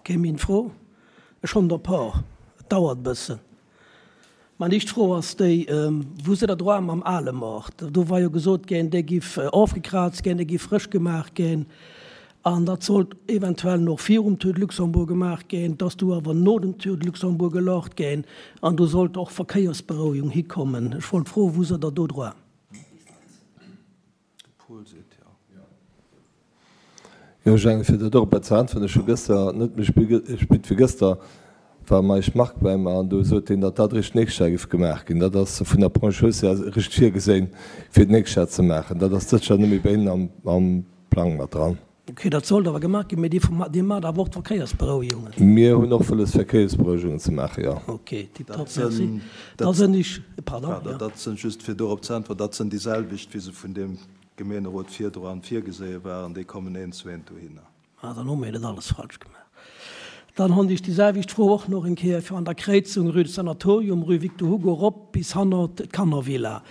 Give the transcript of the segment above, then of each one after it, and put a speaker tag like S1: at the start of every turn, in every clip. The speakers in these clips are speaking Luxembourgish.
S1: Ok, meng Fro, ech hunn der e paar, et dauert e bëssen. Mein éischt Fro ass déi, Wou sidd Der droa mam ale Maart? Do war jo gesot ginn, dee giff ofgekrazt ginn, dee giff frësch gemaach ginn an dat sollt eventuell nach virum Tour de Luxembourg gemaach ginn. Et ass du awer no dem Tour de Luxembourg gelaucht ginn an do sollt och Verkéiersberouegung hikommen. Ech wollt froen, Wou sidd Der do droa?
S2: Paul seet jo. Jo, ech mengen, fir dat och e bet ze äntweren, ech hu gëster, net méi spit wéi gëster, war Meisch Marc bäi mer an do sot hien, datt dat eréischt d'nächst Jar géif gemaach ginn. Dat ass vun der Branche Hausse eréischt virgeséin, fir d'nächst Jar ze maachen. Dat ass dëst Jar net méi bei hinnen am Plang mat dran.
S1: Ok, dat sollt awer gemaach ginn, mee Dir maacht awer och d'Verkéiersberouegungen?
S2: Mir hunn och wëlles Verkéiersberouegungen ze maachen, jo.
S1: Ok, tiptop, merci. Da sinn ech, pardon, jo.
S3: Dat sinn, just fir dorop ze äntweren, dat sinn déi selwecht, wéi se vun deem Gemeenerot virdru virgeséie waren, déi kommen eent zu eent dohinner.
S1: Ah, dann hu mir net alles falsch gemaach. Dann hunn ech déi selwecht Fro och nach eng Kéier fir an der Kréizung Rue du Sanatorium, Rue Victor Hugo erop bis hannert d'Kannervilla.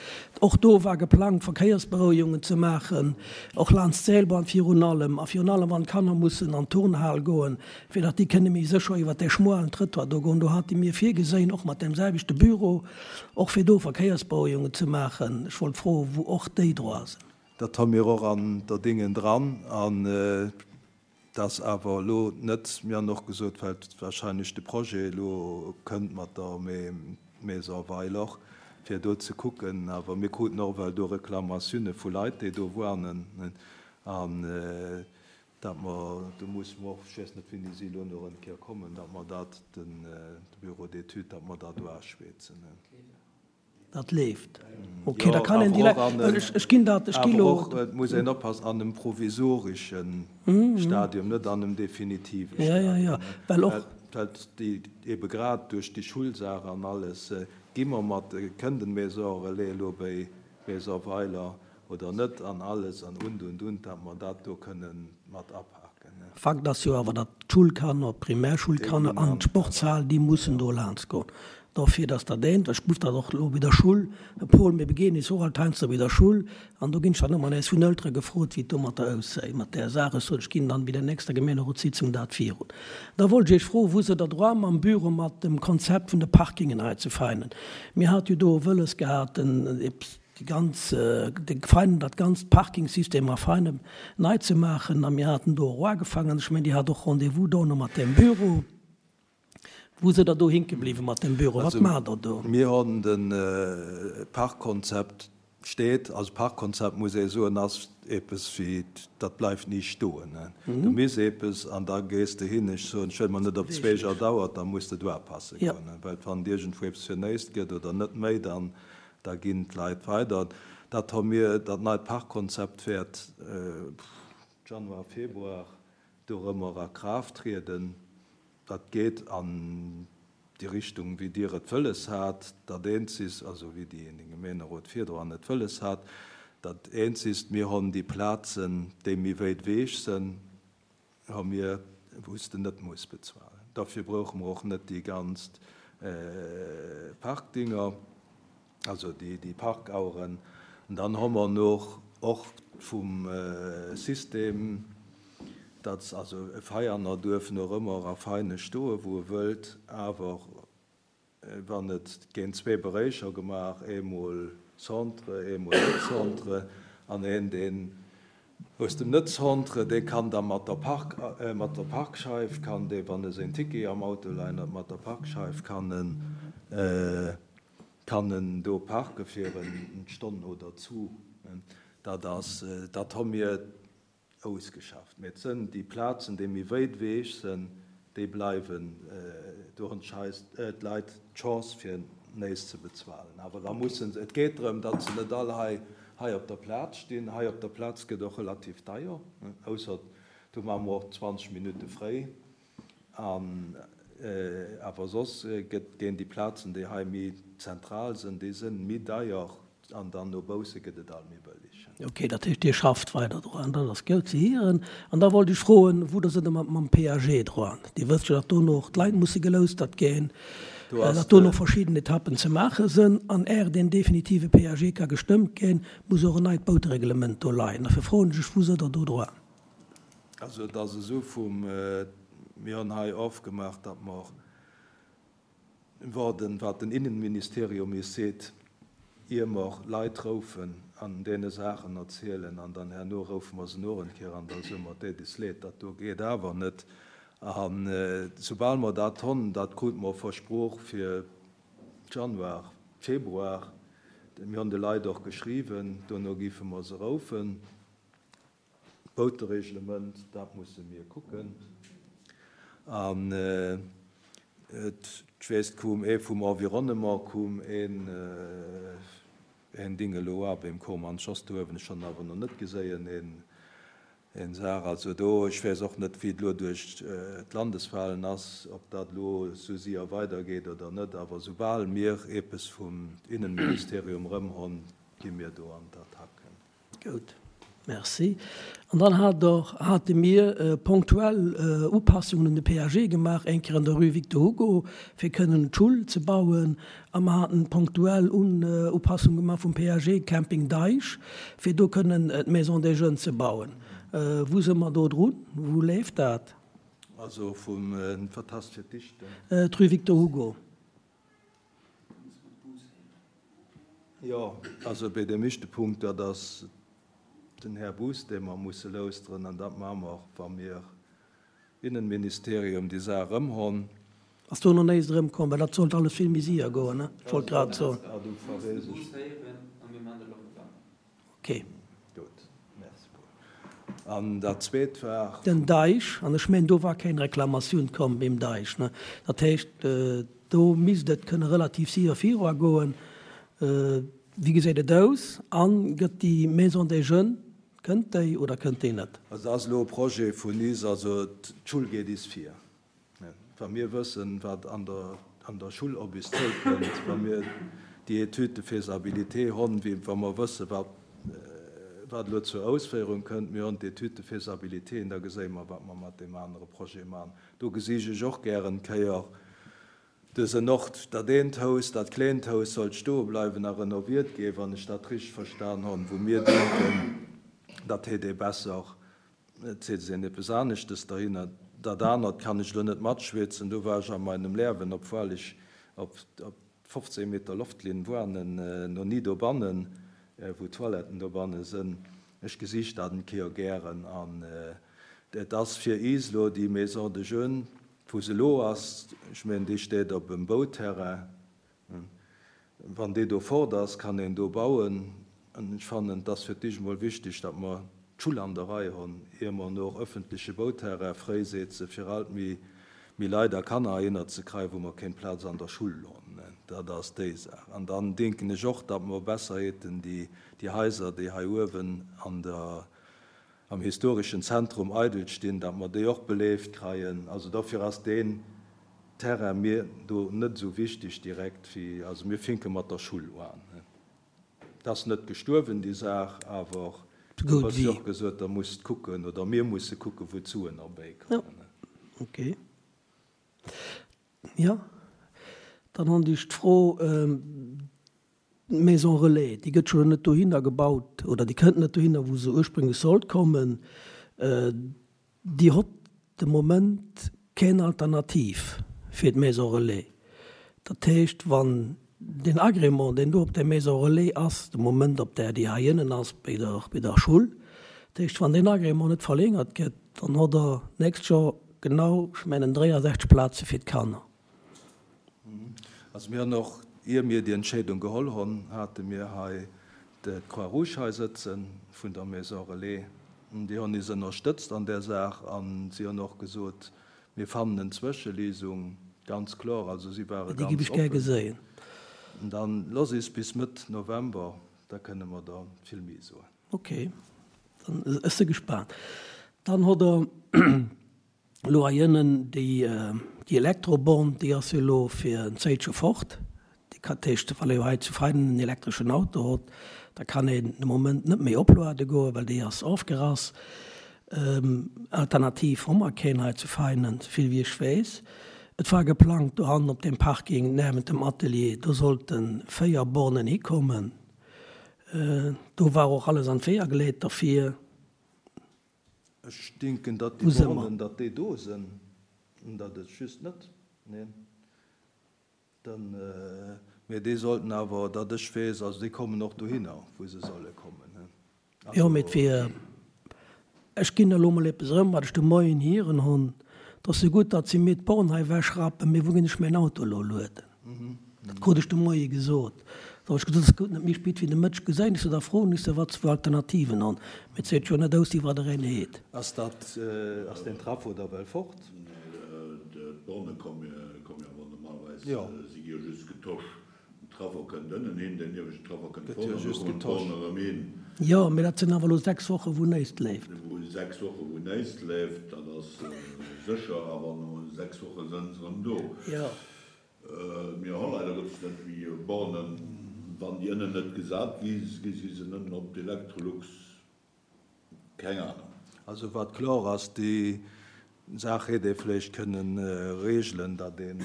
S1: Och do war geplangt, Verkéiersberouegungen ze maachen, och laanscht d'Seilbahn virun allem, a virun allem wann d'Kanner mussen an d'Turnhal goen, fir datt déi kënne méi sécher iwwert dee schmualen Trëttoir do goen. Do hate mir virgeséin, och mat deem selwechte Büro, och fir do Verkéiersberouegungen ze maachen. Ech wollt froen, wou och déi droa sinn.
S3: Dat hu mir och an der Dingen dran. An et ass awer elo net, mir han och gesot, well wahrscheinlech de Projet elo kënnt mat der Maison Weiler, fir do ze kucken. Awer mir kruten och ewell do Reklamatioune vu Leit, déi do wuanen. An dat mer, do musse mer och, ech weess net, wéini si elo nach eng Kéier kommen, datt mer dat, de Bureau d'études, datt mer dat do aschweezen.
S1: Dat leeft. Ok, da kann een déi Leit, well ech, ech ginn dat, ech gi lo.
S3: Awer och, et muss een oppassen, an einem provisoresche Stadium, net an einem definitive
S1: Stadium. Ja, ja, ja, well och.
S3: Well déi ebe grad duerch déi Schulsaach an alles, gi mer mat, kënnt en Maison relais elo béi Maison Weiler oder net an alles an und, und, und, datt mer dat do kënnen mat apaken.
S1: Fakt ass jo awer, datt d'Schulkanner, d'Primärschulkanner an d'Sportshal, déi mussen do laanscht goen. Dofir, datt dat eent, ech muss dat och elo bei der Schull, de Paul, mir begéinen eis och alt heiansdo bei der Schull, an do ginn ech dann ëmmer nees vun Eltere gefrot, wéi et domatter aussäit mat där Saach. Ech sot, ech ginn dann bei der nächster Gemeenerotssitzung dat virun. Da wollt ech Iech froen, wou se der droit mam Büro mat dem Konzept vun de Parkingen hei zu Veinen. Mir hate jo do wëlles gehat, den, déi ganz, de Veinen, dat ganzt Parkingsystem a Veinen nei ze maachen, a mir haten do och ugefaangen, an ech mengen, Dir hat och Rendez-vous dono mat deem Büro. Wou sidd Der do hinke bliwwen mat dem Büro? Wat maacht Der do?
S3: Mir hunn de Parkkonzept steet. Also Parkkonzept, muss ee soen, ass eppes wéi, dat bleift ni stoen. Du misst eppes an da gees de hin. Ech soen, ech wëll mer net op zweeger dauert, da muss de do apasse goen. Well wann et iergendwou eppes fir néist gëtt oder net méi, dann da ginn d'Leit weider. Dat hu mir, dat neit Parkkonzept wäert Januar, Februar dorëmmer a Kraaft trieden. Dat geet an déi Richtung, wéi Dir et wëlles hat. Dat Eenzegst, also wéi déi den Gemeenerot virdran et wëlles hat, dat Eenzegst, mir honn déi Plazen, déi méi wéit ewech sënn, hu mir, wou s de net muss bezuelen. Dofir brouche mer och net déi ganz Parkdinger, also déi Parkaueren. An dann hu mer noch och vum System, datt also e Veianer duerf nach ëmmer a Veine stoen, wou e wëllt, awer wann et géint zwee Beréicher gemaach, eemol Centre, eemol net Centre, an een, deen aus dem Net-Centre, dee kann da mat der Park, mat der Parkscheif kann dee, wann e seng Ticket am Auto leien huet, mat der Parkscheif kann en, kann en do parke fir eng Stonn oder zu. Dat ass, dat hu mir Ausgeschafft. Mee et sënn déi Plazen, déi méi wéit eweg sënn, déi bleiwen. Do hunn d'Leit d'Chance fir néis ze bezuelen. Awer da mussen se, et geet drëm, datt se net all hei hei op der Plaz stinn. Hei op der Plaz gëtt och relativ deier, ausser do maache mer och 20 Minutte fréi. An awer soss gëtt, ginn déi Plazen, déi hei méi zentral sënn, déi sënn méi deier an dann no bausse gëtt et alt méi bëlleg.
S1: Ok, dat heescht Dir schafft weider dran, dat ass goud ze hieren. An da wollt ech froen, wou Der sidd mat mam PAG dran. Dir wësst jo, datt dono och d'Leit musse geloustert ginn, datt dono verschidden Etappen ze maache sënn. An är deen definitive PAG ka gestëmmt ginn, muss och en neit Bautereglement do leien. Dofir froen ech Iech, wou sidd Der do dran?
S3: Also et ass esou vum. Mir hunn hei ofgemaach, datt mer waarden, wat den Innenministerium is seet, ier mer Leit roufen an deene Saachen erzielen. An dann herno roufe mer se no en Kéier an da soe mer, Et deet is leed, dat do geet awer net. A soubal mer dat honn, dat krute mer versprooch fir Januar, Februar, mir hunn de Leit och geschriwwen, dono géife mer se roufen. D'Boutereglement, dat musse mir kucken. An ech weess, et koum ee vum Environnement, koum een, een Ding elo ab, eem koum an d'Schoss do uewen, ech hunn en awer nach net geséien, een, een Saach. Also do, ech weess och net, wéi et elo duerch d'Landeswahlen ass, ob dat elo esou séier weidergeet oder net, awer soubal mir eepes vum Innenministerium erëm honn, gi mir do an d'Attack.
S1: Gutt, merci. An dann hat Der, hate mir ponktuell Upassungen un de PAG gemaach, eng Kéier an der Rue Victor Hugo, fir kënnen d'Schull ze bauen, a mer haten ponktuell Upassungen gemaach vum PAG Camping Deich, fir do kënnen d'Maison des Jeunes ze bauen. Wou si mer do drun? Wou leeft dat?
S3: Also vum, wat hast fir d'Dichten?
S1: D'Rue Victor Hugo.
S3: Jo, also bei deem éischte Punkt, dat ass den Här Buss, dee mer musse lauschteren, an dat maache mer, wa mir Innenministerium déi Saach erëmhonn.
S1: Ass do nach néist erëmkomm? Well dat sollt alles vill méi séier goen, ne? Ech wollt grad soen. Ok.
S3: Gutt, merci Paul. An dat zweet war.
S1: Den Deich, an ech mengen do war keng Reklamatioun komm beim Deich, ne? Dat heescht, do misst et kënne relativ séier viruagoen. Wéi geséit et aus? A gëtt déi Maison des Jeunes, kënnt déi oder kënnt déi net?
S3: Also dat ass elo e Projet vun is, also d'Schull geet is vir. Wa mir wëssen, wat an der an der Schull op is zoukënnt, wa mir déi Étude de faisabilité honn, wéi wa mer wëssen, wat wat elo zur Ausféierung kënnt, mir honn d'Étude de faisabilité, da geséie mer, wat mer mat deem anere Projet maachen. Do gesich ech och gären d'Kéier dësen Ort, dat eent Haus, dat kleent Haus sollt stoe bleiwen a renoviert ginn, wann ech dat richteg verstan honn, wou mir denken, dat hätt ee besser Et seet een eppes aneschtes derhinner. Dat anert kann ech elo net matschwätzen. Do war ech a meinem Lerwen, obwuel ech op 15 Meter Loftlinn woanen, no ni dobannen, wou d'Toiletten dobanne sënn. Ech gesicht dat en Kéier gären. An et ass fir iis elo déi Maison de jeunes, wou se elo ass, ech mengen déi steet op em Bauterrain, Wann déi do fort ass, kann een do bauen. An ech fannen, et ass fir d'éischt emol wichtig, datt mer d'Schull an der Rei honn, ier mer no och öffentleche Bauterrain fréisetzen, fir alt méi méi Leit a Kanner heihinner ze kreien, wou mer kéng Plaz an der Schull honn. Dat ass déi Saach. An dann denken ech och, datt mer besser hätten déi déi Haiser, déi hei uewen an der am historeschen Zentrum eidel stinn, datt mer déi och beleeft kreien. Also dofir ass deen Terrain mir do net esou wichteg direkt wéi, also mir finke mat der Schull uan. Et ass net gestuerwen déi Saach, awer du hues jo och gesot, der musst kucken oder mir musse kucken, wou d'Suen erbäikommen.
S1: Jo, okay. Jo, dann hunn ech d'Fro, D'Maison relais, déi gëtt jo net dohinner gebaut oder déi kënnt net dohinner, wou se ursprünglech sollt kommen. Déi hott de Moment keng Alternativ fir d'Maison relais. Dat heescht, wann deen Agrément, deen do op där Maison relais ass, de Moment op där déi hei ënnen ass bei der, bei der Schull, dat heescht, wann deen Agrément net verlängert gëtt, dann hott Der d'nächst Joer genau, ech mengen, 63 Plaze fir d'Kanner.
S3: Also mir hunn och, ier mir déi Entscheedung geholl hunn, hate mir hei d'Croix-Rouge hei sëtze vun der Maison Relais. Déi hunn is ënnerstëtzt an där Saach a si hunn och gesot, mir fannen en Zwëschelesung, ganz kloer. Also si ware
S1: Déi giff
S3: ganz
S1: ech gär
S3: oppen.
S1: geséien.
S3: Dann looss is bis Mëtt November, da kënne mer der vill méi soen.
S1: Ok, dann ech si gespaant. Dann hutt Der Elo hei ënnen déi Elektroborn, déi ass jo elo fir en Zéitche fort. Déi kann, dat heescht, wann ee jo hei zu Veinen en elektreschen Auto hott, da kann een de Moment net méi opluade goen, well déi ass ofgerass. Alternativ hu mer keen hei zu Veinen, souvill wéi ech weess. Et war geplangt, dohannen op deem Parking niewent dem Atelier, do sollte 4 Bornen hikommen. Do war och alles an d'Weeër geleet derfir.
S3: Ech denken, datt déi Bornen, datt déi do sinn. Dat et just net, neen. Dann, mee déi sollten awer, datt ech weess, also déi kommen och dohinner, wou se solle kommen.
S1: Jo, mee et wier, ech ginn elo mol eppes erëm, wat ech de Moien hieren hunn, et ass jo gutt, datt si mir d'Born hei ewechrappen, mee wou ginn ech mäin Auto elo lueden? Dat krut ech de Moie gesot. Da hunn ech gesot, et ass gutt, net méi spéit wéi de Mëtteg gesäin ech se, da froen ech se, wat se fir Alternativen hunn. Mee et seet jo net aus, iwwer een heet.
S3: Ass dat, ass deen Trafo da well fort?
S4: Nee, d'Borne komme jo awer normalerweis, si gi jo just getosch. Den Trafo kënnt ënnen hin, deen ieweschten Trafo kënnt fort an da kommen d'Borne erëm hin.
S1: Jo, mee dat sinn awer elo 6 Woche wou néist leeft.
S4: Wou 6 Woche wou néist leeft, dat ass sécher, awer no 6 Woche sënn se erëm do.
S1: Jo.
S4: Mir hu leider Gottes net méi Bornen. Wann déi ënnen net gesat gi, gi si se nëmmen op d'Electrolux. Keng Ahnung.
S3: Also wat kloer ass, déi Saach hätt ee vläicht kënnen regelen, datt een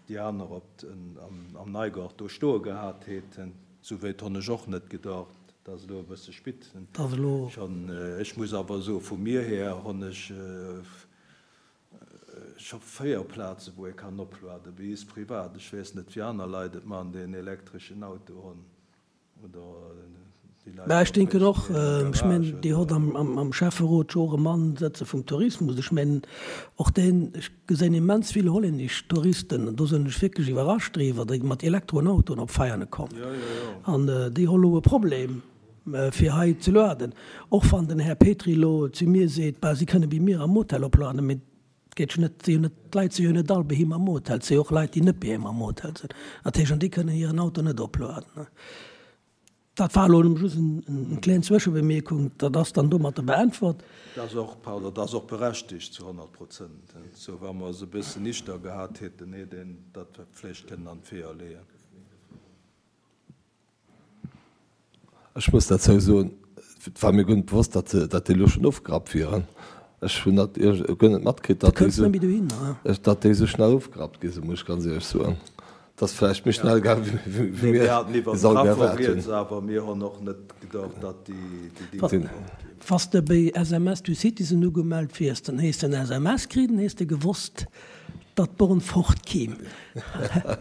S3: déi aner op am Neigort do stoe gehat hätt. Sou wéit honn ech och net gedacht, et ass elo e bësse spit schonn. Ech muss awer soen, vu mir här honn ech scho 4 Plaze wou ee kann opluaden, bei is privat. Ech weess net wéi aner Leit et man, déi en elektreschen Auto hunn oder
S1: déi Leit Mä ech denken och, ech mengen Dir hott am Schäfferot jo och e Mann sëtze vum Tourismus, ech mengen och deen, ech gesinn immens vill hollännesch Touristen, an do sinn ech wierklech iwwerrascht driwwer, déi mat Elektroautoen op Veiane kommen an déi hu lo e Problem fir hei ze luaden, och wann den Här Petry elo zu mir seet, bah, si kënne bei mir am Hotel opluaden, mee et geet jo net, si jo net, d'Leit si jo net all bei him am Hotel, et si jo och Leit, déi net bei him am Hotel sinn, dat heescht, an déi kënnen hiren Auto net opluaden. Dat war elo nëmme just eng kleng Zwëschebemierkung, dat ass dann domatter beäntwert.
S3: Dat ass och, pardon, dat ass och berechtigt zu 100 Prozent. Sou, wa mer se e bëssen nichter gehat hätten, hätt een dat vläicht kënnen an d'Weeër leeën.
S2: Ech muss derzou soen, et war mir guer net bewosst, datt datt déi elo schonn ofgerappt wieren. Ech hunn dat guer net matkritt, datt déi esou, datt déi esou schnell ofgerappt gi sinn, muss ech ganz éierlech soen. Et ass vläicht méi schnell gaangen, wéi mir
S3: es all erwaart hunn. Awer mir hunn och net gedacht, datt déi Dénger fort ginn.
S1: Wann s de bei SMS to Citizen ugemellt wiers, dann hés de en SMS kritt, dann hés de gewosst, datt d'Born fort kimm.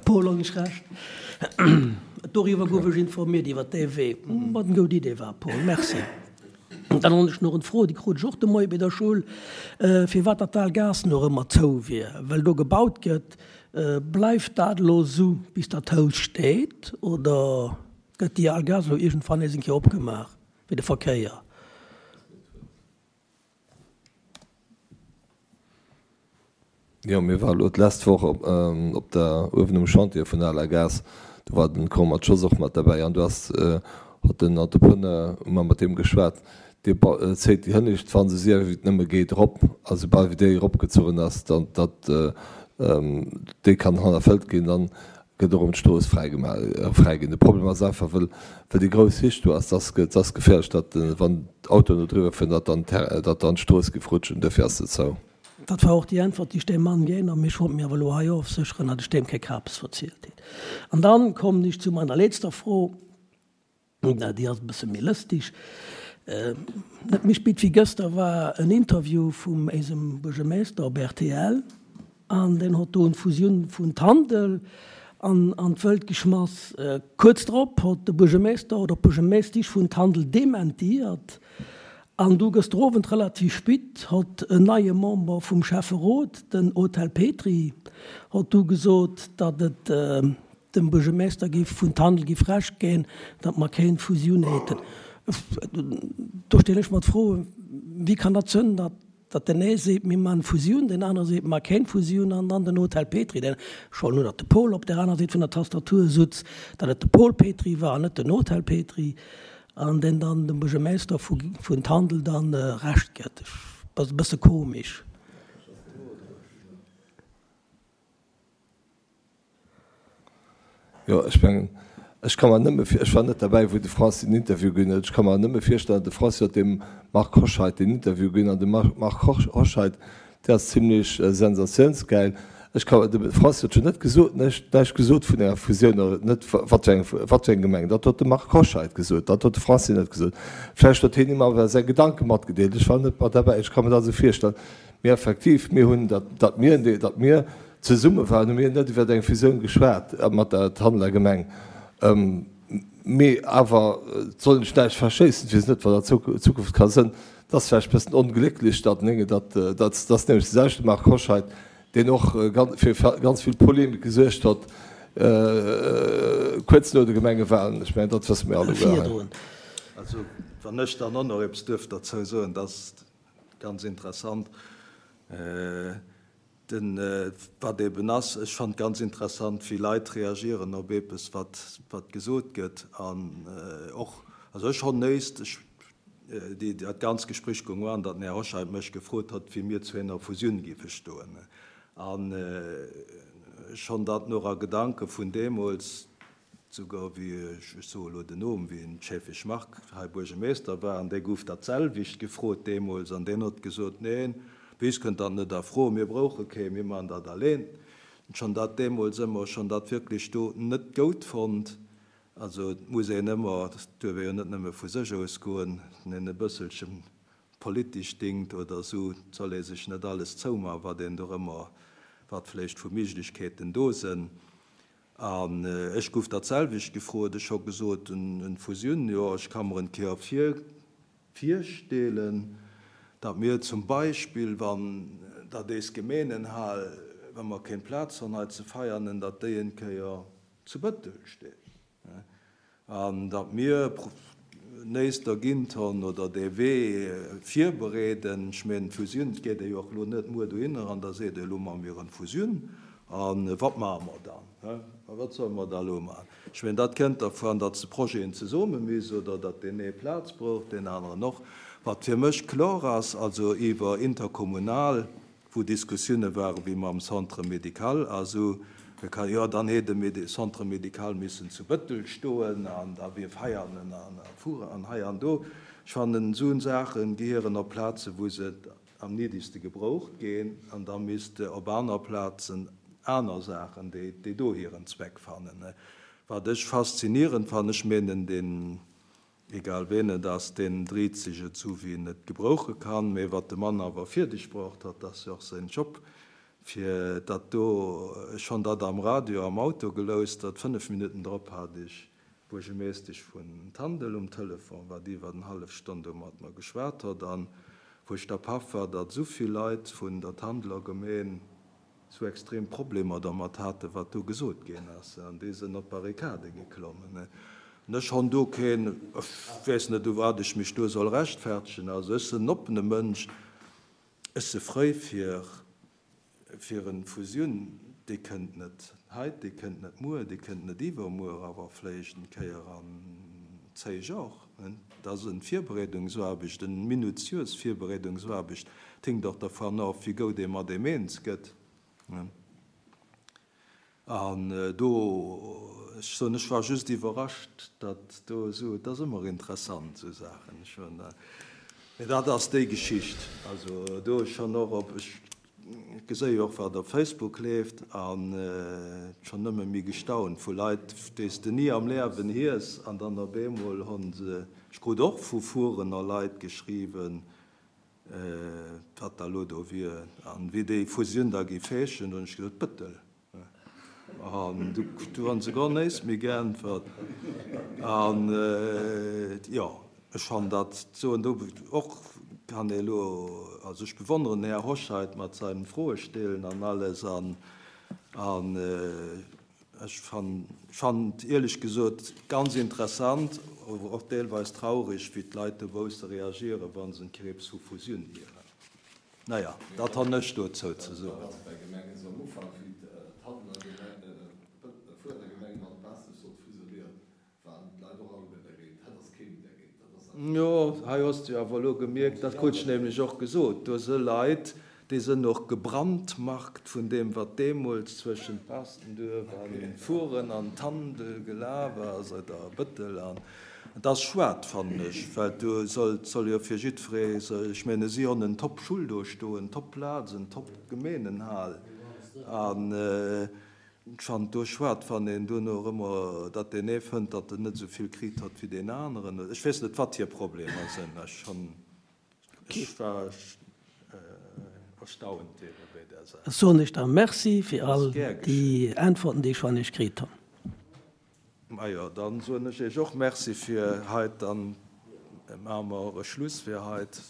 S1: Paul, hunn ech Recht? Doriwwer gouf ech informiert, iwwer dee Wee. Wat eng goud Idee war, Paul. Merci. Dann hunn ech nach en Fro, déi krut ech och de Moie bei der Schoul, firwat dat al Gaass nach ëmmer zou wier, well do gebaut gëtt. Bleift dat elo esou, bis dat Haus steet, oder gëtt déi al Gaass elo iergendwann nees eng Kéier opgemaach fir de Verkéier?
S2: Jo, mir ware lo d'lescht Woch op der, uewen um Chantier vun der Aler Gaass, do war den Cormac Schoss och mat derbäi an do ass, hott den Entrepreneur, hu mer mat deem geschwat, dee zéit déi hënnescht Wand esou séier wéi et nëmme geet erop a soubal wéi déi eropgezuchen ass, dann datt déi kann hannerfëllt ginn, dann gëtt och erëm d'Strooss fräi gemaach, fräi ginn. De Problem ass einfach, wëll, wëll déi grouss Hich do ass, dass, et ass geféierlech, datt wann d'Autoen do driwwer fueren, datt dann d'Terrain, datt dann d'Strooss géif rutschen. Duerfir ass se zou.
S1: Dat war och déi Äntwert, déi ech deem Mann ginn hunn. Mee ech wollt mir awer elo hei ofsécheren, datt ech deem kee Kapes verzielt hunn. An dann kommen ech zu meiner letzter Fro. Déi ass e bësse méi lëstig. Net méi spit wéi gëster war en Interview vum éisem Buergermeeschter op rtl an deen hott do en Fusioun vun Tandel an an d'Wëlt geschmass. Kuerz drop hott de Buergermeeschter oder d'Buergermeeschtisch vun Tandel dementiert an du gëster Owend relativ spit hott en neie Member vum Schäfferot, den Hotel Petry, hott du gesot, datt et Dem Buergermeester giff vun Tandel giff Recht ginn, datt mer kéint Fusioun heten. Do stellen ech mer d'Fro, wéi kann dat sënn, datt datt den ee seet, mir man Fusioun, den anere seet, mer kéint Fusioun, an dann den Hotel Petry, deen, ech wollt elo, datt de Paul op där aner Säit vun der Tastatur sutz, datt et de Paul Petry war an net den Hotel Petry, an deen dann dem Buergermeester vu vun Tandel dann Recht gëtt. Ass e bësse komisch.
S2: Jo, ech mengen, ech ka mer nëmme vir, ech war net derbäi, wou de Francis den Interview ginn huet, ech ka mer nëmme virstellen, de Francis huet dem Marc Hoscheid den Interview ginn an de Marc Hoscheid, dee ass zimlech sensatiounsgäil. Ech ka, de Francis huet jo net gesot, näischt, näischt gesot vun enger Fusioun oder net, wat fir eng, wat fir eng Gemeng. Dat huet de Marc Hoscheid gesot, dat huet de Francis net gesot. Vläicht huet hien him awer säi Gedanke matgedeelt, ech war net mat derbäi, ech ka mer dat esou virstellen. Mee effektiv, mir hunn, datt mir, datt mir zesumme waren, hu mir net iwwer eng Fusioun geschwat mat der Tanneler Gemeng. Mee awer, et soll een sech näischt verschéissen, ech weess net, wat an Zukunft ka sënn. Et ass vläicht e bëssen onglécklech, datt, datt, datt ass nämlech de selwechte Marc Hoscheid, deen och fir ganz vill Polemik gesuergt hott kuerz no de Gemengewahlen. Ech mengen, dat wësse mir alleguer hei.
S3: Also, wann ech dann och nach eppes duerf derzou soen, dat ass ganz interessant, den, wat eben ass, ech fannen et ganz interessant, wéi Leit reagieren op eppes, wat, wat gesot gëtt. An och, also ech honn néist, ech, déi, dat ganz Gespréich goung an, datt den Här Hoscheit mech gefrot hott, wéi mir zu enger Fusioun géife stoen. An ech honn dat nach a Gedanke vun deemools, Souguer wéi, ech soe elo den Numm, wéi den Schaeffig Marc hei Buergermeester war, an dee gouf dat selwecht gefrot deemools, an deen hott gesot, Neen, bei is kënnt dat net a Fro, mir brouche kee, mir maachen dat alleen. Ech honn dat deemools ëmmer, ech honn dat wierklech do net goud fonnt. Also et muss een ëmmer, et duerf ee jo net nëmme vu sech ausgoen, en e bësselche politesch dingt oder esou, et soll ee sech net alles zoumaachen, wat een do ëmmer, wat vläicht vu Méiglechkeeten do sënn. An ech gouf dat selwecht gefrot. Ech ho gesot, en Fusioun, jo, ech ka mer en Kéier vir, virstelen, datt mir zum Beispill, wann datt eis Gemeenenhal, wa mer kéng Plaz honn hei ze feiernen, datt déi en Kéier zu Bëttel steet. An datt mir néist dergint honn oder dee Wee virbereeden. Ech mengen, d'Fusioun, et geet ee jo och elo net muer dohinner an da seet ee, elo maache mir en Fusioun a wat maache mer dann? A wat solle mer da elo maachen? Ech mengen, dat kënnt dervun, datt se Projeten zesumme miss oder datt deen ee Plaz brauch, deen aneren och. Wat fir mech kloer ass, also iwwer interkommunal, wou Diskussioune ware wéi mam Centre médical a sou, jo dann hätt de Centre médical missen zu Bëttel stoen an da wier Veianen an Furen an hei an do. Ech fannen, esou Saache gehieren op Plaze wou se am niddegste gebraucht ginn an da misste op aner Plazen aner Saachen, déi do hiren Zweck fannen. Wat ech faszinierend fannen, ech menen deen Egal ween et ass, deen driit sech et sou wéi en et gebrouche kann. Mee wat de Mann awer fierdeg braucht hat, ass jo och séin Job, fir dat do. Ech honn dat am Radio am Auto geloustert, 5 Minutten drop hat ech d'Buergemeeschtesch vun Tandel um Telefon, wat iwwer en hallef Stonn do mat mer geschwat hott, an wou ech da paff war, datt esou vill Leit vun der Tandeler Gemeen sou extrem Problemer dermat haten, wat do gesot ginn ass, an déi sënn op d'Barrikade geklommen. An ech honn do keen, ech weess net, u wat ech mech do soll rechtfertegen. Also ech sënn en oppene Mënsch, ech se frëi fir, fir en Fusioun, déi kënnt net heit, déi kënnt net muer, déi kënnt net iwwermuer, awer vléicht en Kéier an 10 Jor. Et ass en Virbereedungsaarbecht, en minutiös Virbereedungsaarbecht. Et hinkt och dervan of, wéi goud ee mat eem eens gëtt. An do, ech soen, ech war just iwwerrascht, datt do esou, et ass ëmmer interessant, esou Saachen. Ech hunn, mee dat ass déi Geschicht. Also do ech schonn och op, ech geséi och, wat op Facebook leeft, an schonn nëmme méi gestaunt vu Leit, déi s de ni am Liewen hies, an dann op eemol hunn se, ech krut och vu Furener Leit geschriwwen, wat da lo do wier an wéi déi Fusioun da géif heeschen, hunn ech gesot, Bëttel. An du hunn se gar néist méi geäntwert. An jo, ech fannen dat soen do och kann ee lo, also ech bewonneren den Här Hoscheit mat seinem Froestellen an alles an an ech fannen et ierlech gesot ganz interessant, awer och deelweis traurig, wéi d'Leit dobausse reagieren, wa se en Kriibs vu Fusioun hieren. Naja, dat han ech dozou ze soen.
S2: Dat ass bei Gemengen esou am Ufank, wéi d'Handeler Gemeng mat Baaschtnech sollt fusionéieren, waren d'Leit och alleguer dergéint. Hatt ass kee méi dergéint. Dat ass einfach.
S3: Jo, hei hues de jo awer elo gemierkt, dat krut ech nämlech och gesot, do se Leit, déi sënn och gebrandmarkt vun deem, wat deemools zwëschent Baastenduerf an Furen an Tandel gelaf ass, oder Bëttel an. Et ass schuad, fannen ech, well do soll, soll jo fir jiddweree, ech menge si honn en top Schull do stoen, top Plaz, en top Gemeenenhal an ech fannen et do schuad, wann een duerno erëm, datt deen ee fënnt, datt en net esou vill kritt hott wéi deen aneren. Ech weess net, wat hir Problemer sinn. Ech honn, ech war. Erstaunt ebe béi där
S1: Saach. Soen ech da Merci fir all déi Äntwerten, déi ech van Iech kritt hunn.
S3: Majo, dann soen ech Iech och Merci fir heit. Dann maache mer och e Schluss fir heit.